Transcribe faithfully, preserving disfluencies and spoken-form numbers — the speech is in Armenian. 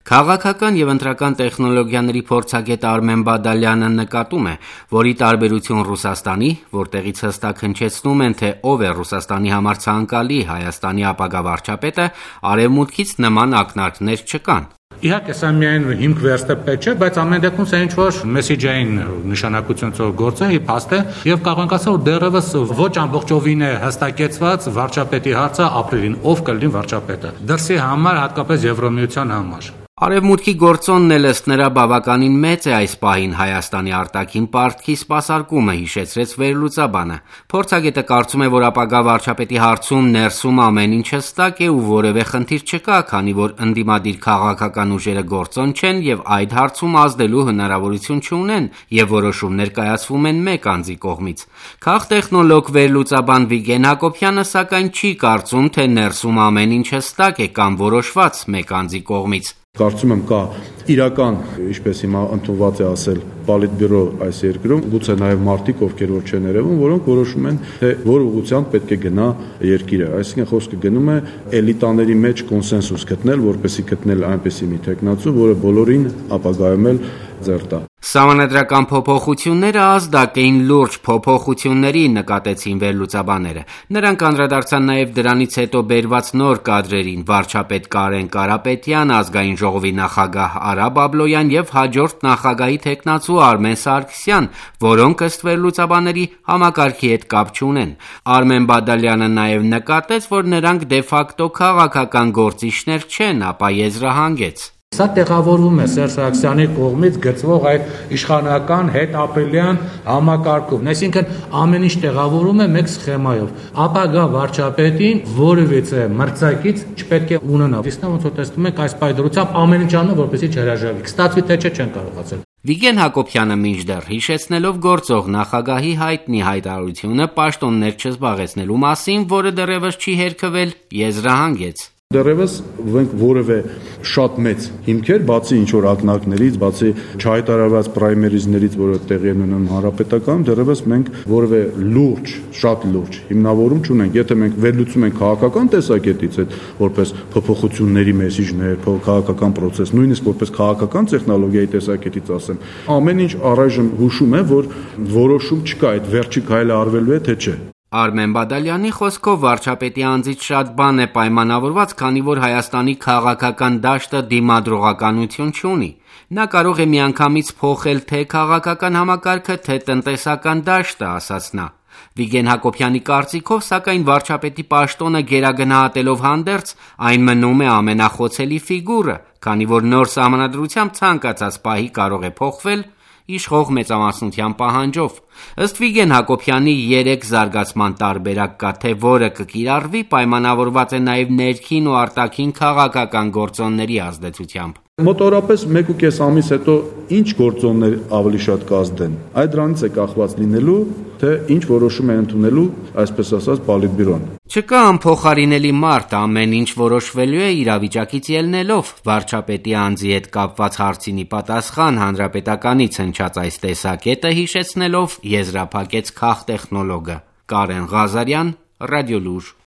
Քաղաքական եւ ընտրական տեխնոլոգիաների փորձագետ Արմեն Բադալյանը նկատում է, որ ի տարբերություն Ռուսաստանի, որտեղից հստակ հնչեցնում են, թե ով է Ռուսաստանի համար ցանկալի Հայաստանի ապագա վարչապետը, արևմուտքից նման ակնարկներ չկան։ Իհարկե, սա միայն հիմք վերստեպետ չէ, բայց ամեն դեպքում սա ինչ-որ մեսիջային նշանակությունով գործ է, փաստ է, եւ կարող ենք ասել, որ դեռևս ոչ ամբողջովին է հստակեցված վարչապետի հարցը ապրիլին, ով կլինի վարչապետը։ Դրսի համար, հատկապես Եվրամիության համար։ Արևմուտքի գործոնն էլ ըստ նրա բավականին մեծ է այս պահին Հայաստանի արտաքին պարտքի սպասարկումը, հիշեցրեց վերլուծաբանը։ Փորձագետը կարծում է, որ ապագա վարչապետի հարցում ներսում ամեն ինչ հստակ է ու որևէ խնդիր չկա, քանի որ ընդդիմադիր քաղաքական ուժերը գործոն չեն եւ այդ հարցում ազդելու հնարավորություն չունեն եւ որոշումներ կայացվում են մեկ անձի կողմից։ Քաղտեխնոլոգ վերլուծաբան Վիգեն Հակոբյանը սակայն չի կարծում, թե ներսում ամեն ինչ հստակ է կամ որոշված մեկ անձի կողմից։ Կարծում եմ կա իրական, ինչպես հիմա ընդունված է ասել, պոլիտբյուրո այս երկրում, գուցե նաև մարդիկ, ովքեր որ չեն երևում, որոնք որոշում են, թե որ ուղղությամբ պետք է գնա երկիրը։ Այսինքն խոսքը գնում է էլիտաների մեջ կոնսենսուս գտնել, որպեսզի գտնել այնպեսի մի տեխնացու, որը բոլորին ապագայում էլ ձեռ տա։ Սահմանադրական փոփոխությունները ազդակ էին լուրջ փոփոխությունների, նկատեցին վերլուծաբանները։ Նրանք անդրադարձան նաև դրանից հետո բերված նոր կադրերին՝ վարչապետ Կարեն Կարապետյան, ազգային ժողովի նախագահ Արա Բաբլոյան եւ հաջորդ նախագահի թեկնածու Արմեն Սարգսյան, որոնք ըստ վերլուծաբանների համակարգի հետ կապ չունեն։ Արմեն Բադալյանը նաև նկատեց, որ նրանք դե ֆակտո քաղաքական գործիչներ չեն, ապա եզրահանգեց. Սա տեղավորվում է Սերժ Սարգսյանի կողմից գծվող այդ իշխանական հետապրիլյան համակարգով, այսինքն ամեն ինչ տեղավորվում է մեկ սխեմայով։ Ապագա վարչապետին որևիցե մրցակից չպետք է ունենա։ Իսկ ոնց որ տեսնում եք, այս պայդրությամբ ամեն ինչ անում, որպեսզի չհրաժարվի։ Կստացվի թե չէ, չեն կարողացել։ Վիգեն Հակոբյանը մինչդեռ հիշեցնելով գործող նախագահի հայտնի հայտարարությունը պաշտոններ չզբաղեցնելու մասին, որը դեռևս չի հերքվել, եզրահանգեց. Դեռևս մենք որևէ շատ մեծ հիմքեր, բացի ինչ-որ ակնարկներից, բացի չհայտարարված պրայմերիզներից, որը տեղի են ունենում հանրապետական, դեռևս մենք որևէ լուրջ, շատ լուրջ հիմնավորում չունենք։ Եթե մենք վերլուծում ենք քաղաքական տեսակետից այդ որպես փոփոխությունների մեսիջներ, քաղաքական process, նույնիսկ որպես քաղաքական տեխնոլոգիայի տեսակետից ասեմ, ամեն ինչ առայժմ հուշում է, որ որոշում չկա, այդ վերջի քայլը արվելու է, թե չէ։ Արմեն Բադալյանի խոսքով վարչապետի անձից շատ բան է պայմանավորված, քանի որ Հայաստանի քաղաքական դաշտը դիմադրողականություն չունի։ Նա կարող է միանգամից փոխել թե քաղաքական համակարգը, թե տնտեսական դաշտը, ասաց նա։ Վիգեն Հակոբյանի կարծիքով, սակայն վարչապետի պաշտոնը գերագնահատելով հանդերձ, այն մնում է ամենախոցելի ֆիգուրը, քանի որ նոր սահմանադրությամբ ցանկացած պահի կարող է փոխվել իշխող մեծամասնության պահանջով։ Ըստ Վիգեն Հակոբյանի երեք զարգացման տարբերակ կա, թե որը կկիրառվի, պայմանավորված է նաև ներքին ու արտաքին քաղաքական գործոնների ազդեցությամբ։ Մոտորապես մեկ ու կես ամիս հետո ինչ գործոններ ավելի շատ կազդեն։ Այդ դրանից է կախված լինելու, թե ինչ որոշում է ընդունելու, այսպես ասած, պոլիտբյուրոն։ Չկա անփոխարինելի մարդ, ամեն ինչ որոշվելու է իրավիճակից ելնելով։ Վարչապետի անձի հետ կապված հարցինի պատասխան հանրապետականից հնչած այս տեսակետը հիշեցնելով եզրափակեց քաղտեխնոլոգը Կարեն Ղազարյան, Ռադիոլուր։